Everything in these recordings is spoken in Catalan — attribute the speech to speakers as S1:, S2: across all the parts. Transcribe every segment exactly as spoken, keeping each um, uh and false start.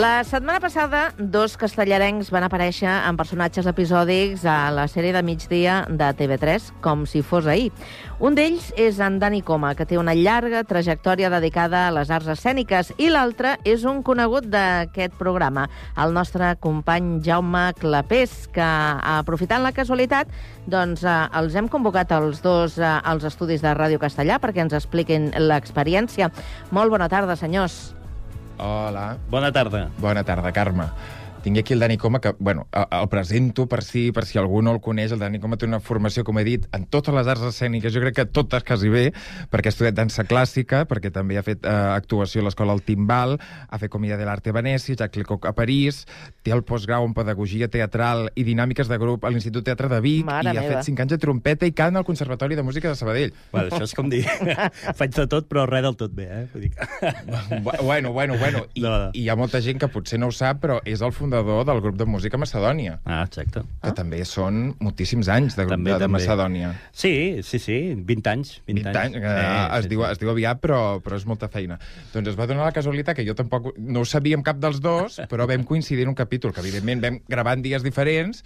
S1: La setmana passada, dos castellarencs van aparèixer en personatges episòdics a la sèrie de migdia de T V tres, com si fos ahir. Un d'ells és en Dani Coma, que té una llarga trajectòria dedicada a les arts escèniques, i l'altre és un conegut d'aquest programa, el nostre company Jaume Clapés, que, aprofitant la casualitat, doncs, eh, els hem convocat els dos eh, als estudis de Ràdio Castellà perquè ens expliquin l'experiència. Molt bona tarda, senyors.
S2: Hola.
S3: Bona tarda.
S2: Bona tarda, Carme. Tinc aquí el Dani Coma, que, bueno, el presento per si, per si algú no el coneix. El Dani Coma té una formació, com he dit, en totes les arts escèniques, jo crec que totes quasi bé, perquè ha estudiat dansa clàssica, perquè també ha fet eh, actuació a l'escola El Timbal, ha fet Comèdia de l'Arte a Venècia, Jacques Lecoq a París, té el postgrau en Pedagogia Teatral i Dinàmiques de Grup a l'Institut Teatre de Vic,
S1: Mare
S2: i ha
S1: meva.
S2: fet cinc anys de trompeta i cant al Conservatori de Música de Sabadell.
S3: Bueno, això és com dir... Faig de tot, però res del tot bé, eh? Vull dir que...
S2: Bueno, bueno, bueno. I,
S3: No, no.
S2: I hi ha molta gent que potser no ho sap, però és el fundador del grup de música Macedònia.
S3: Ah, exacte.
S2: Que ah. també són moltíssims anys de,
S3: També,
S2: de, de
S3: també.
S2: Macedònia.
S3: Sí, sí, sí, vint anys. vint,
S2: vint anys, que
S3: Sí,
S2: es,
S3: sí,
S2: diu,
S3: sí.
S2: es diu aviat, però, però és molta feina. Doncs es va donar la casualitat que jo tampoc no ho sabíem cap dels dos, però vam coincidir en un capítol, que evidentment vam gravar en dies diferents,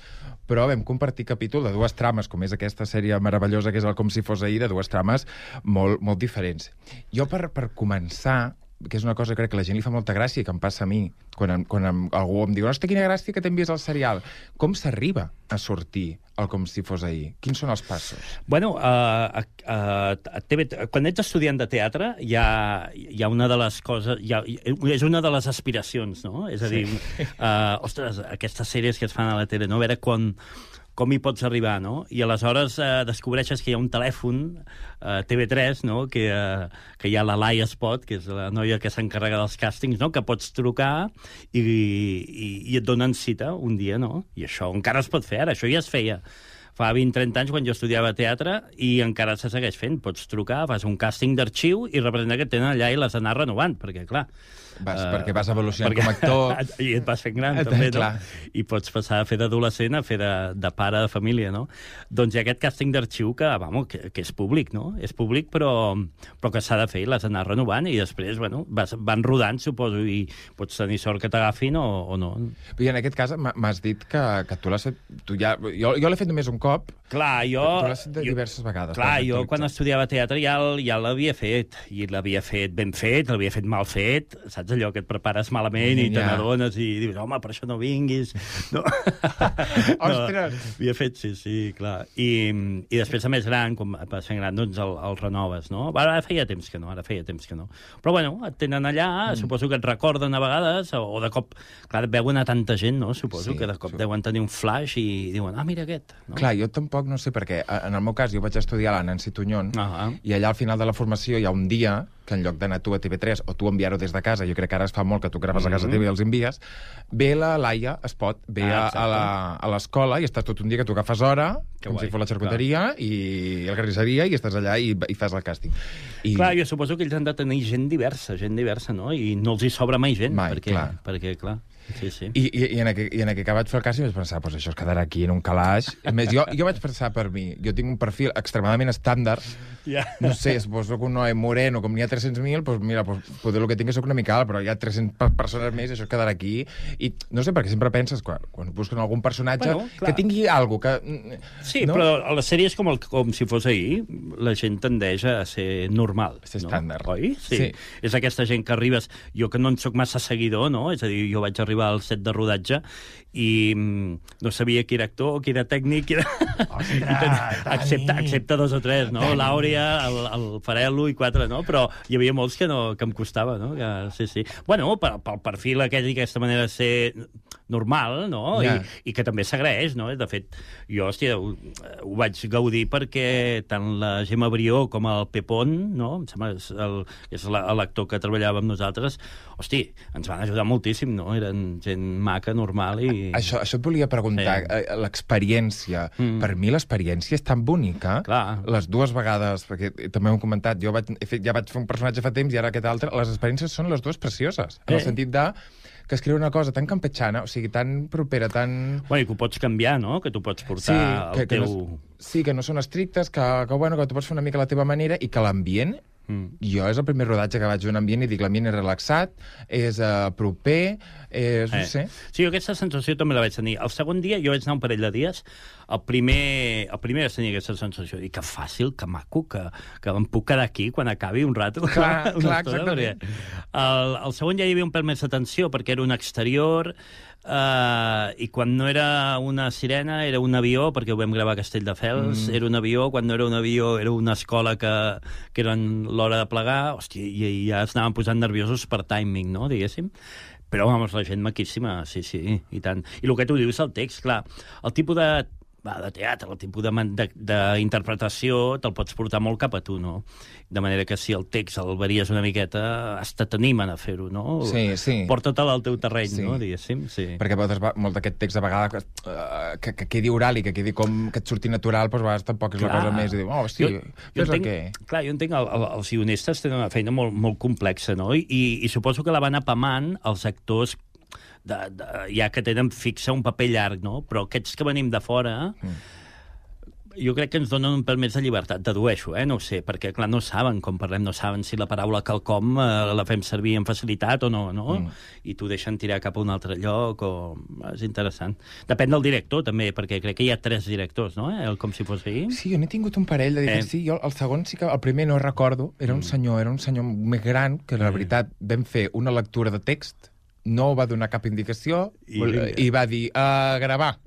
S2: però vam compartir capítol de dues trames, com és aquesta sèrie meravellosa que és el Com si fos ahir, de dues trames molt, molt diferents. Jo, per, per començar, que és una cosa que crec que la gent li fa molta gràcia i que em passa a mi, quan, em, quan em, algú em diu «Hosta, quina gràcia que t'envies al serial». Com s'arriba a sortir el Com si fos ahir? Quins són els passos?
S3: Bueno, uh, uh, uh, T V, quan ets estudiant de teatre, hi ha, hi ha una de les coses... Hi ha, és una de les aspiracions, no? És a dir, sí. uh, ostres, aquestes sèries que es fan a la tele, no? A veure quan... com hi pots arribar, no? I aleshores eh, descobreixes que hi ha un telèfon, eh, T V tres, no? Que, eh, que hi ha la Laia Spot, que és la noia que s'encarrega dels càstings, no? Que pots trucar i, i, i et donen cita un dia, no? I això encara es pot fer ara, això ja es feia fa vint trenta anys, quan jo estudiava teatre, i encara se segueix fent. Pots trucar, fas un càsting d'arxiu i representa que et tenen allà i les anar renovant, perquè, clar...
S2: Vas,
S3: Uh,
S2: perquè vas evolucionant
S3: perquè,
S2: com a actor.
S3: I et vas fent gran,
S2: Eh,
S3: també, no?
S2: clar.
S3: I pots passar a fer d'adolescent a fer de, de pare de família, no? Doncs hi ha aquest càsting d'arxiu que, vamos, que, que és públic, no? És públic, però, però que s'ha de fer i l'has d'anar renovant, i després, bueno, vas, van rodant, suposo, i pots tenir sort que t'agafin o, o no.
S2: I en aquest cas m'ha- m'has dit que, que tu l'has fet... Tu ja, jo jo l'he fet només un cop,
S3: Clar, jo...
S2: tu l'has fet de
S3: jo-
S2: diverses vegades.
S3: Clar,
S2: per
S3: jo
S2: actualitzar.
S3: quan estudiava teatre ja, el- ja l'havia fet, i l'havia fet ben fet, l'havia fet mal fet, saps allò que et prepares malament i te
S2: Ja.
S3: n'adones i dius, home, per això no vinguis. No.
S2: Ostres!
S3: No, havia fet, sí, sí, clar. I, I després, a més gran, quan vas fent gran, doncs el, el renoves, no? Ara feia temps que no, ara feia temps que no. Però, bueno, et tenen allà, mm. suposo que et recorden a vegades, o, o de cop... Clar, et veuen a tanta gent, no? Suposo
S2: Sí,
S3: que de cop
S2: sí.
S3: deuen tenir un flash i diuen, ah, mira aquest. No?
S2: Clar, jo tampoc no sé per què. En el meu cas, jo vaig estudiar a la Nancy Tuñón,
S3: Ah,
S2: i allà al final de la formació hi ha un dia que en lloc d'anar tu a T V tres o tu enviar-ho des de casa, jo crec que ara es fa molt que tu graves a casa
S3: Mhm.
S2: teva i els envies, ve la Laia Espot, ve
S3: Ah,
S2: a, a
S3: exacte.
S2: la- a l'escola i estàs tot un dia que tu agafes hora,
S3: Que
S2: com
S3: guai,
S2: si fos la xarcuteria i la carnisseria, i estàs allà i, i fas el càsting. I...
S3: Clar, jo suposo que ells han de tenir gent diversa, gent diversa, no? I no els hi sobra mai gent,
S2: Mai,
S3: perquè,
S2: clar.
S3: perquè, clar, sí, sí.
S2: I, i, i, en aquell, I en aquell que vaig fer el càsting vaig pensar, pues això es quedarà aquí en un calaix. A més, jo, jo vaig pensar per mi, jo tinc un perfil extremadament estàndard,
S3: Ja.
S2: no sé, suposo que un noi moreno, com n'hi ha tres-cents mil, doncs mira, pues, poder el que tinc és soc una mica alt, però hi ha tres-centes persones més, això es quedarà aquí. I no sé, perquè sempre penses, quan, quan busquen algun personatge,
S3: Bueno, clar.
S2: que tingui alguna cosa, que...
S3: Sí,
S2: no?
S3: però a les sèries com, el, com si fos ahir, la gent tendeix a ser normal.
S2: A ser
S3: no?
S2: estàndard.
S3: Oi? Sí.
S2: Sí.
S3: És aquesta gent que arribes... Jo que no en sóc massa seguidor, no? És a dir, jo vaig arribar al set de rodatge i mm, no sabia qui era actor, qui era tècnic, qui era...
S2: Ostres,
S3: excepte,
S2: Dani.
S3: excepte dos o tres, no?
S2: Dani.
S3: L'Àurea, el, el Farelo i quatre, no? Però hi havia molts que, no, que em costava, no? Que, sí, sí. Bueno, pel, pel perfil aquell i aquesta manera de ser normal, no?
S2: Ja.
S3: I, i que també s'agraeix, no? De fet, jo, hòstia, ho, ho vaig gaudir perquè tant la Gemma Brió com el Pepón, no? Em sembla que és el- és la- l'actor que treballava amb nosaltres, hosti, ens van ajudar moltíssim, no? Eren gent maca, normal i...
S2: Això, això et volia preguntar,
S3: Sí.
S2: sí. l'experiència.
S3: Mm.
S2: Per mi l'experiència és tan bonica.
S3: Clar.
S2: Les dues vegades, perquè també ho hem comentat, jo vaig, he fet, ja vaig fer un personatge fa temps i ara aquest altre, les experiències són les dues precioses. En
S3: Eh.
S2: el sentit de que escriu una cosa tan campechana, o sigui, tan propera, tan...
S3: Bueno, i que ho pots canviar, no? Que tu pots portar
S2: que,
S3: el
S2: que
S3: teu...
S2: no, sí, que no són estrictes, que, que, bueno, que tu pots fer una mica a la teva manera i que l'ambient Mm. Jo és el primer rodatge que vaig d'un ambient i dic l'ambient és relaxat, és uh, proper, és... no eh. sé.
S3: Sí, jo aquesta sensació també la vaig tenir. El segon dia, jo vaig anar un parell de dies, el primer, el primer vaig tenir aquesta sensació, dic que fàcil, que maco, que, que em puc quedar aquí quan acabi un rato.
S2: Clar, clar, exactament.
S3: El, el segon ja hi havia un pèl més d'atenció, perquè era un exterior, Uh, i quan no era una sirena era un avió, perquè ho vam gravar a Castelldefels, mm. era un avió, quan no era un avió era una escola que, que eren l'hora de plegar, hòstia, i, i ja es anaven posant nerviosos per timing, no?, diguéssim. Però, vamos, la gent maquíssima, sí, sí, i tant. I el que tu dius, el text, clar, el tipus de, va, de teatre, el tipus d'interpretació te'l pots portar molt cap a tu, no? De manera que si el text el varies una miqueta, hasta t'animen a fer-ho, no?
S2: Sí, sí.
S3: Porta-te'l al teu terreny,
S2: sí.
S3: no? Diguéssim, sí.
S2: Perquè veus molt d'aquest text, a vegades, que, uh, que, que quedi oral i que quedi com que et surti natural, doncs a vegades tampoc és clar. La cosa més. I diu, oh, hosti, jo, jo entenc, que...
S3: Clar, jo entenc, el, el, els guionistes tenen una feina molt, molt complexa, no? I, i, i suposo que la van apamant els actors de, de, ja que tenen fixa un paper llarg, no? Però aquests que venim de fora... Mm. Jo crec que ens donen un pèl més de llibertat, dedueixo, eh? No ho sé, perquè, clar, no saben, com parlem, no saben si la paraula quelcom eh, la fem servir amb facilitat o no, no? Mm. I t'ho deixen tirar cap a un altre lloc, o... És interessant. Depèn del director, també, perquè crec que hi ha tres directors, no? Eh? Com si fos ahir.
S2: Sí, jo n'he tingut un parell de diferents. Eh. Sí, jo el segon sí que... El primer no recordo, era un senyor, era un senyor més gran, que, la veritat, vam fer una lectura de text, no va donar cap indicació, i, i va dir, a gravar.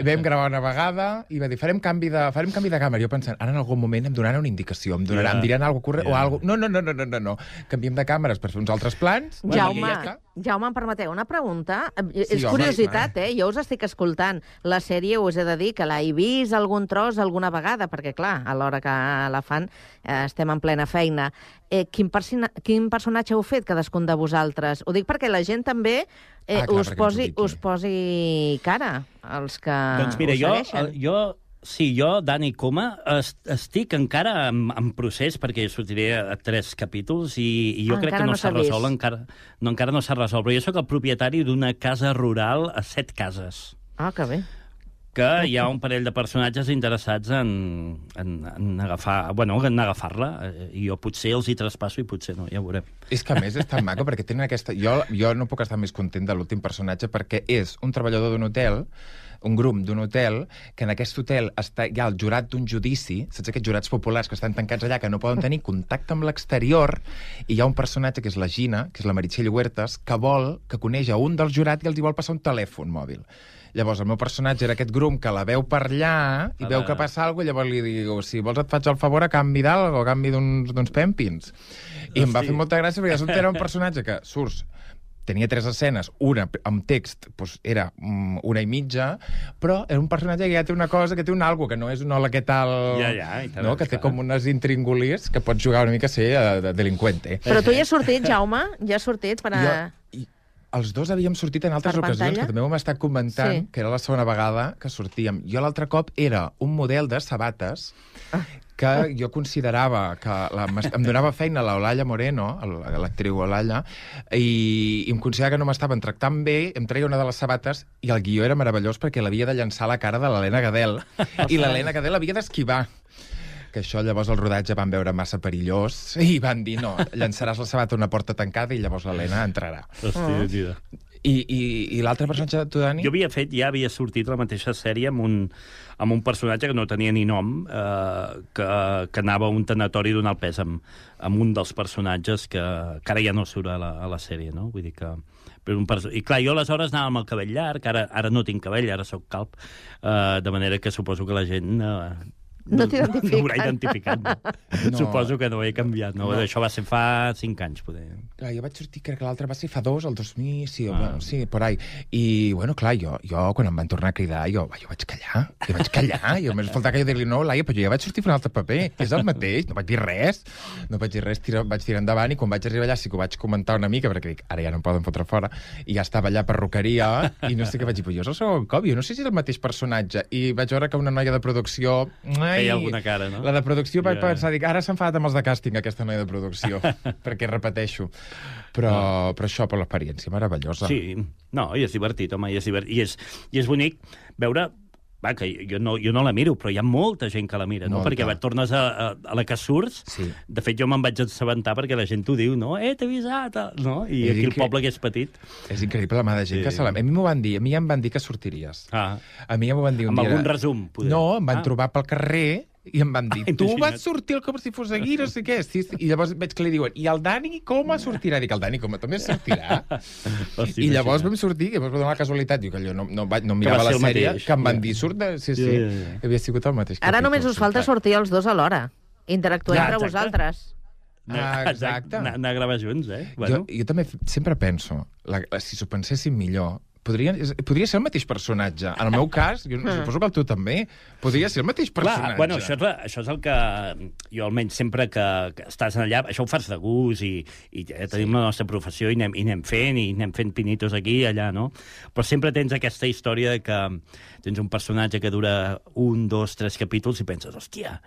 S2: Vam gravar una vegada i va dir, farem canvi de, farem canvi de càmera. Jo pensant, ara en algun moment em donaran una indicació, em, donaran, yeah. em diran alguna cosa correcte, yeah. o alguna... No, no, no, no, no, no, no. Canviem de càmeres per fer uns altres plans.
S1: Jaume, bueno, ja Jaume, em permeteu una pregunta? Sí, és home, curiositat, eh? Jo us estic escoltant. La sèrie us he de dir que l'he vist algun tros alguna vegada, perquè, clar, a l'hora que la fan eh, estem en plena feina. Eh, quin, quin personatge heu fet, cadascun de vosaltres? Ho dic perquè la gent també eh, ah, clar, us, posi, us posi cara, els que
S3: doncs mira,
S1: us segueixen.
S3: Jo, jo, sí, jo, Dani Coma, est, estic encara en, en procés, perquè sortiré a tres capítols, i, i jo ah, crec que no, no s'ha resolt, encara no, encara no s'ha resolt. Però jo sóc el propietari d'una casa rural a set cases.
S1: Ah, que bé.
S3: Que hi ha un parell de personatges interessats en, en, en agafar, bueno, en agafar-la, i jo potser els hi traspasso i potser no, ja ho veurem.
S2: És que a més és tan maco, perquè tenen aquesta... Jo, jo no puc estar més content de l'últim personatge, perquè és un treballador d'un hotel, un grum d'un hotel, que en aquest hotel està, hi ha el jurat d'un judici, saps aquests jurats populars que estan tancats allà, que no poden tenir contacte amb l'exterior, i hi ha un personatge que és la Gina, que és la Meritxell Huertas, que vol, que coneix a un dels jurats i els hi vol passar un telèfon mòbil. Llavors, el meu personatge era aquest grum que la veu per allà i veu que passa alguna cosa, i llavors li diu, si vols et faig el favor a canvi d'algo, a canvi d'uns pèmpins. I em va fer molta gràcia, perquè ja era un personatge que surts, tenia tres escenes, una amb text doncs era una i mitja, però era un personatge que ja té una cosa, que té un algo, que no és un hola, què tal...
S3: Ja, ja, i tant,
S2: no? Que té com unes intríngulis que pots jugar una mica a ser de delinqüente.
S1: Però tu ja has sortit, Jaume? Ja has sortit per a...
S2: Jo... Els dos havíem sortit en altres ocasions, que també ho hem estat comentant, sí. que era la segona vegada que sortíem. Jo l'altre cop era un model de sabates que jo considerava que la, em donava feina l'Olalla Moreno, l'actriu Olalla, i, i em considerava que no m'estaven tractant bé, em treia una de les sabates i el guió era meravellós perquè l'havia de llançar a la cara de l'Helena Gadel, i l'Helena Gadel havia d'esquivar. Que això llavors el rodatge van veure massa perillós i van dir, no, llançaràs la sabata a una porta tancada i llavors l'Helena entrarà.
S3: Hòstia, tira.
S2: I, i, i l'altre personatge de tu, Dani?
S3: Jo havia fet, ja havia sortit la mateixa sèrie amb un, amb un personatge que no tenia ni nom, eh, que, que anava a un tanatori donar el pes amb, amb un dels personatges que, que ara ja no surt a la, a la sèrie, no? Vull dir que... Un perso... I clar, jo aleshores anava amb el cabell llarg, ara, ara no tinc cabell, ara sóc calb, eh, de manera que suposo que la gent... Eh,
S1: No t'identifiquen.
S3: No m'haurà identificat, no. no. Suposo que no ho he canviat, no? no. Això va ser fa cinc anys, poder.
S2: Clar, jo vaig sortir, crec que l'altre va ser fa dos, el dos mil, sí, ah. bueno, sí, por ahí. I, bueno, clar, jo, jo quan em van tornar a cridar, jo, jo vaig callar, jo vaig callar, jo més faltava que jo dir-li, no, Laia, però jo ja vaig sortir per un altre paper, és el mateix, no vaig dir res, no vaig dir res, tira, vaig tirar endavant, i quan vaig arribar allà sí que ho vaig comentar una mica, perquè dic, ara ja no em poden fotre fora, i ja estava allà perruqueria, i no sé què vaig dir, però jo és el segon cop, jo no sé si és el mateix personatge, i vaig veure que una noia de producció... Ai,
S3: feia alguna cara, no?
S2: La de producció vaig yeah. pensar, dic, ara s'ha enfadat amb els de càsting, aquesta noia de producció, perquè repeteixo. Però, no. però això, per l'experiència, meravellosa.
S3: Sí, no, i és divertit, home, i és, divert... I és, i és bonic veure Va, que jo no, jo no la miro, però hi ha molta gent que la mira, no?
S2: Molta.
S3: Perquè va, tornes a, a, a la que surts,
S2: Sí.
S3: de fet jo me'n vaig assabentar perquè la gent t'ho diu, no? Eh, t'he avisat, no? I
S2: És
S3: aquí el
S2: incre-
S3: poble que és petit...
S2: És increïble la mà de gent
S3: Sí.
S2: que se la... A mi m'ho van dir, a mi ja em van dir que sortiries.
S3: Ah,
S2: A mi ja m'ho van dir un
S3: amb
S2: dia...
S3: algun resum, poder.
S2: No, em van
S3: Ah.
S2: trobar pel carrer i em van dir,
S3: Ah,
S2: tu
S3: imagina't.
S2: vas sortir com si fos aquí, no sé què. Sí, sí. I llavors veig que li diuen, i el Dani com sortirà? Dic, el Dani com també sortirà?
S3: Hosti,
S2: I llavors
S3: imagina't.
S2: vam sortir, i llavors va donar la casualitat, dic, allò, no, no, vaig, no
S3: va
S2: mirava
S3: ser
S2: la
S3: el
S2: sèrie,
S3: mateix.
S2: que em van
S3: Ja.
S2: dir, surt de... Sí, sí,
S3: Ja, ja, ja.
S2: havia sigut el mateix
S1: Ara
S2: capítol,
S1: només us falta
S2: sempre.
S1: sortir els dos alhora. Interactuar
S3: Ja,
S1: entre
S3: exacte.
S1: vosaltres.
S2: Ah, exacte.
S3: Anar, anar a gravar junts, eh?
S2: Jo, jo també f- sempre penso, la, la, si s'ho penséssim millor, podria, és- podria ser el mateix personatge. En el meu cas, jo suposo que el teu també, podria ser el mateix personatge.
S3: Clar, bueno, això és, la, això és el que jo almenys sempre que, que estàs allà, això ho fas de gust i, i ja tenim la nostra professió i anem, i anem fent, i anem fent pinitos aquí i allà, no? Però sempre tens aquesta història de que tens un personatge que dura un, dos, tres capítols i penses, hòstia,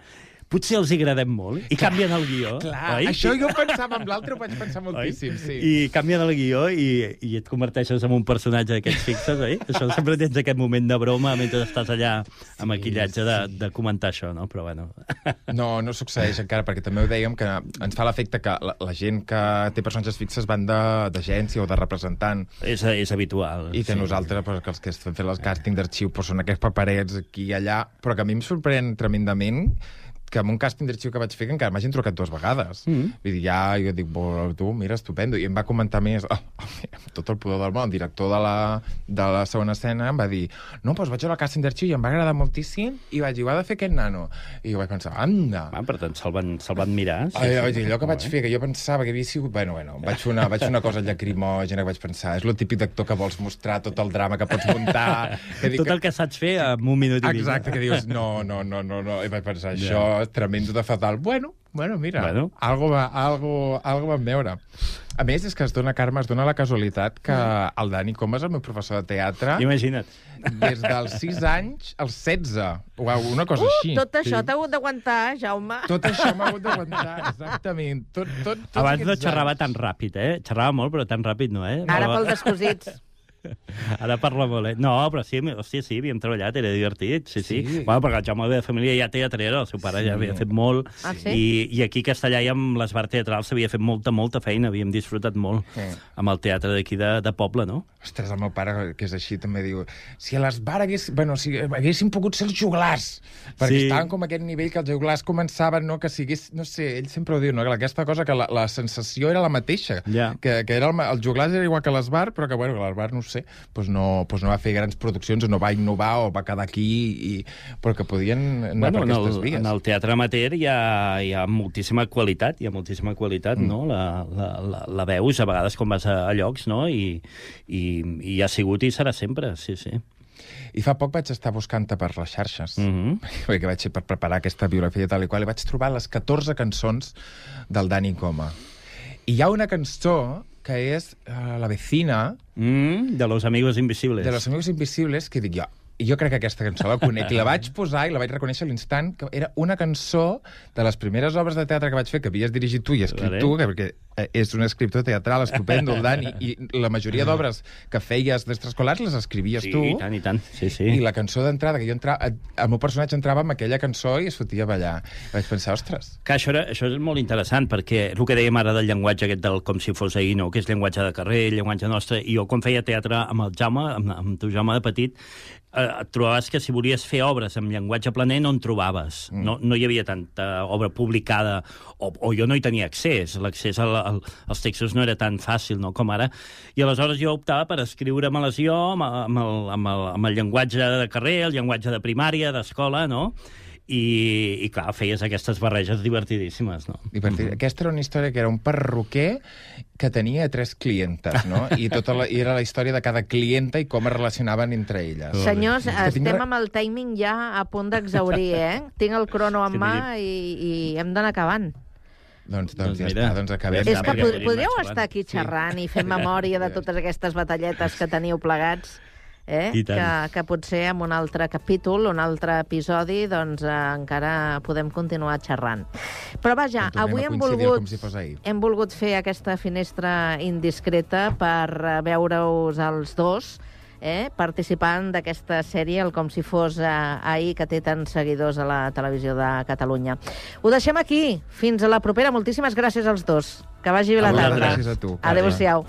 S3: potser els hi agradem molt, i canvien el guió.
S2: Clar,
S3: oi?
S2: això jo pensava, amb l'altre ho vaig pensar moltíssim, sí.
S3: I canvien el guió i, i et converteixes en un personatge d'aquests fixes, oi? Això sempre tens aquest moment de broma mentre estàs allà amb
S2: Sí,
S3: maquillatge de,
S2: sí.
S3: de comentar això, no? Però bueno...
S2: No, no succeeix encara, perquè també ho dèiem, que ens fa l'efecte que la, la gent que té personatges fixes van de- d'agència o de representant.
S3: És, és habitual.
S2: I que
S3: sí.
S2: nosaltres, pues, que els que estem fent el càsting d'arxiu, pues, són aquests paperets aquí i allà, però que a mi em sorprèn tremendament que amb un càsting d'arxiu que vaig fer que encara m'hagin trucat dues vegades.
S3: Mm.
S2: Vull dir, ja, jo dic, bo, tu, mira, estupendo. I em va comentar més, oh, amb tot el pudor del món, el director de la, de la segona escena em va dir, no, doncs vaig veure el càsting d'arxiu i em va agradar moltíssim i vaig dir, ho ha de fer aquest nano. I jo vaig pensar, anda.
S3: Ah, per tant, se'l van, se van mirar. Sí,
S2: Ai,
S3: sí.
S2: ai, allò que
S3: Molt
S2: vaig
S3: bé.
S2: fer, que jo pensava que havia sigut... Bueno, bueno, vaig fer una, vaig fer una cosa llacrimògena que vaig pensar, és el típic d'actor que vols mostrar tot el drama que pots muntar. Que dic
S3: Tot el que saps fer en un minut i mig.
S2: Exacte, que dius, no, no, no, no, no. I vaig pensar, això és tremendo de fatal. Bueno, bueno, mira,
S3: Bueno.
S2: algo, va, algo, algo vam veure. A més, és que es dona, Carme, es dona la casualitat que el Dani Comas, el meu professor de teatre,
S3: Imagina't.
S2: des dels sis anys als setze, o una cosa
S1: Uh,
S2: així.
S1: tot això t'ha hagut d'aguantar, Jaume.
S2: Tot això m'ha hagut d'aguantar, exactament. Tot, tot, tots
S3: Abans no
S2: aquests
S3: xerrava
S2: anys.
S3: tan ràpid, eh? Xerrava molt, però tan ràpid no, eh?
S1: Ara
S3: No,
S1: pel descosits.
S3: Ara parla molt, eh? No, però sí, hòstia, sí, havíem treballat, era divertit, sí, sí.
S2: Sí.
S3: Bueno, perquè el Jaume ve de família ja teatrera, el seu pare ja havia fet molt,
S1: Ah, sí?
S3: i, i aquí a Castellà i amb les bars teatrals s'havia fet molta, molta feina, havíem disfrutat molt
S2: Sí.
S3: amb el teatre d'aquí de, de poble, no?
S2: Ostres, el meu pare, que és així, també diu si a les bars hagués, bueno, si haguéssim pogut ser els joglars, perquè
S3: Sí.
S2: estaven com a aquest nivell que els joglars començaven, no, que sigués, no sé, ell sempre ho diu, no, que aquesta cosa, que la, la sensació era la mateixa,
S3: Ja.
S2: que, que era el, els joglars era igual que les bars, però que, bueno, que les bars, no ho sé, doncs no, doncs no va fer grans produccions, o no va innovar, o va quedar aquí, i, però que podien anar per
S3: en,
S2: aquestes
S3: el,
S2: vies.
S3: en el teatre amateur hi ha, hi ha moltíssima qualitat, hi ha moltíssima qualitat, mm. no? La, la, la, la veus a vegades quan vas a, a llocs, no? I, i, i ha sigut i serà sempre, sí, sí.
S2: I fa poc vaig estar buscant-te per les xarxes,
S3: Mm -hmm.
S2: perquè vaig per preparar aquesta biografia tal i qual, i vaig trobar les catorze cançons del Dani Coma. I hi ha una cançó que és uh, La vecina,
S3: mm, de los amigos invisibles.
S2: de Los Amigos Invisibles, que dic jo, i jo crec que aquesta cançó la conec, i la vaig posar i la vaig reconèixer a l'instant, que era una cançó de les primeres obres de teatre que vaig fer, que havies dirigit tu i escrit
S3: Vale.
S2: tu, que, perquè eh, és un escriptor teatral estupendo, el Dani, i la majoria d'obres que feies d'extraescolars les escrivies
S3: Sí,
S2: tu,
S3: i tant, i tant, sí, sí.
S2: i la cançó d'entrada, que jo entrava, el meu personatge entrava amb aquella cançó i es fotia a ballar. I vaig pensar, ostres,
S3: Que això, era, això és molt interessant, perquè el que dèiem ara del llenguatge aquest del com si fos ahir, no? Que és llenguatge de carrer, llenguatge nostre, i jo quan feia teatre amb el Jaume, amb, amb tu Jaume de petit, eh, et trobaves que si volies fer obres amb llenguatge planer no en trobaves. Mm. No, no hi havia tanta obra publicada, o, o jo no hi tenia accés. L'accés al, al, als textos no era tan fàcil, no?, com ara. I aleshores jo optava per escriure-me-les jo amb, amb, el, amb, el, amb el llenguatge de carrer, el llenguatge de primària, d'escola, no?, i, i clar, feies aquestes barreges divertidíssimes, no?
S2: divertit. Mm-hmm. Aquesta era una història que era un perruquer que tenia tres clientes, no? I, tota la, i era la història de cada clienta i com es relacionaven entre elles.
S1: Senyors,
S2: És que tinc
S1: estem
S2: re-
S1: amb el timing ja a punt d'exaurir, eh? Tinc el crono en
S3: Sí,
S1: mà i, i hem d'anar acabant.
S2: Doncs, doncs,
S3: Doncs
S2: ja
S3: mira,
S2: està, doncs acabem.
S3: ja
S1: És
S3: està,
S1: que
S3: perquè
S1: pod
S3: podríem
S1: podríeu
S3: anar
S1: estar aquí
S2: xerrant.
S1: xerrant i fer memòria de totes aquestes batalletes que teniu plegats, eh?
S3: I tant.
S1: Que, que potser en un altre capítol, un altre episodi, doncs eh, encara podem continuar xerrant. Però vaja,
S2: Doncs tornem
S1: avui
S2: a
S1: hem
S2: coincidir
S1: volgut,
S2: com si fos ahir.
S1: hem volgut fer aquesta finestra indiscreta per eh, veure-us els dos eh, participant d'aquesta sèrie, el Com si fos eh, ahir, que té tants seguidors a la televisió de Catalunya. Ho deixem aquí. Fins a la propera. Moltíssimes gràcies als dos. Que vagi bé la tarda.
S2: Gràcies a tu.
S1: Adéu-siau.